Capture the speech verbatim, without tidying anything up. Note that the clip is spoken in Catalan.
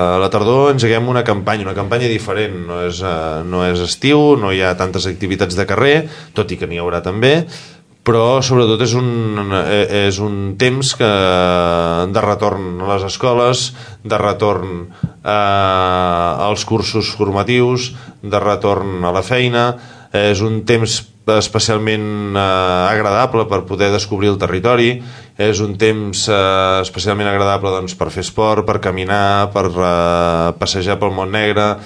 A la tardor engeguem una campanya, una campanya diferent, no és, uh, no és estiu, no hi ha tantes activitats de carrer, tot i que n'hi haurà també, però sobretot és un, és un temps que, de retorn a les escoles, de retorn eh, als cursos formatius, de retorn a la feina. És un temps especialment eh, agradable per poder descobrir el territori, és un temps eh, especialment agradable doncs, per fer esport, per caminar, per eh, passejar pel Montnegre.